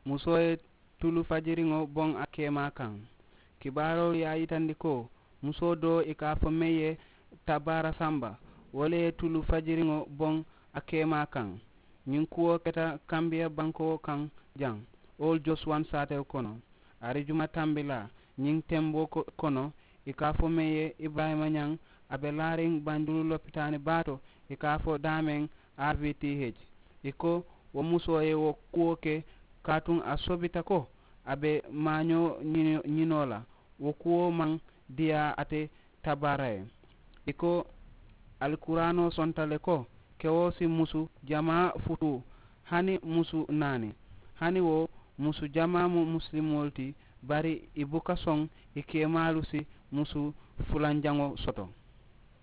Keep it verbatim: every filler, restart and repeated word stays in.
Musoo ye tulu fajiriŋo boŋ a keemaa kaŋ. Kibaaroolu ye a yitandi ko musoo doo i ka a fo meŋ ye tabaara samba, wo le ye tulu fajiriŋo boŋ a keemaa kaŋ. Ñiŋ kuwo keta kambiya bankoo kaŋ jaŋ, oolu josuwan saatewo kono. Arijuma tambilaa ñiŋ temboo kono, i ka a fo meŋ ye iburayima ñaŋ, a be laariŋ banjulu lopitaani baa to, i ka a fo daameŋ, a v t h. I ko wo musoo ye wo kuwo ke kaatuŋ a sobita ko a be maañoo ñinoo la, wo kuwo maŋ diyaa ate tabaara ye. I ko alikuraanoo sonta le ko kewo si musu jamaa futuu, hani musu naani. Hani wo musu jamaa mu musilimoolu ti, bari i buka soŋ i keemaalu si musu fulanjaŋo soto.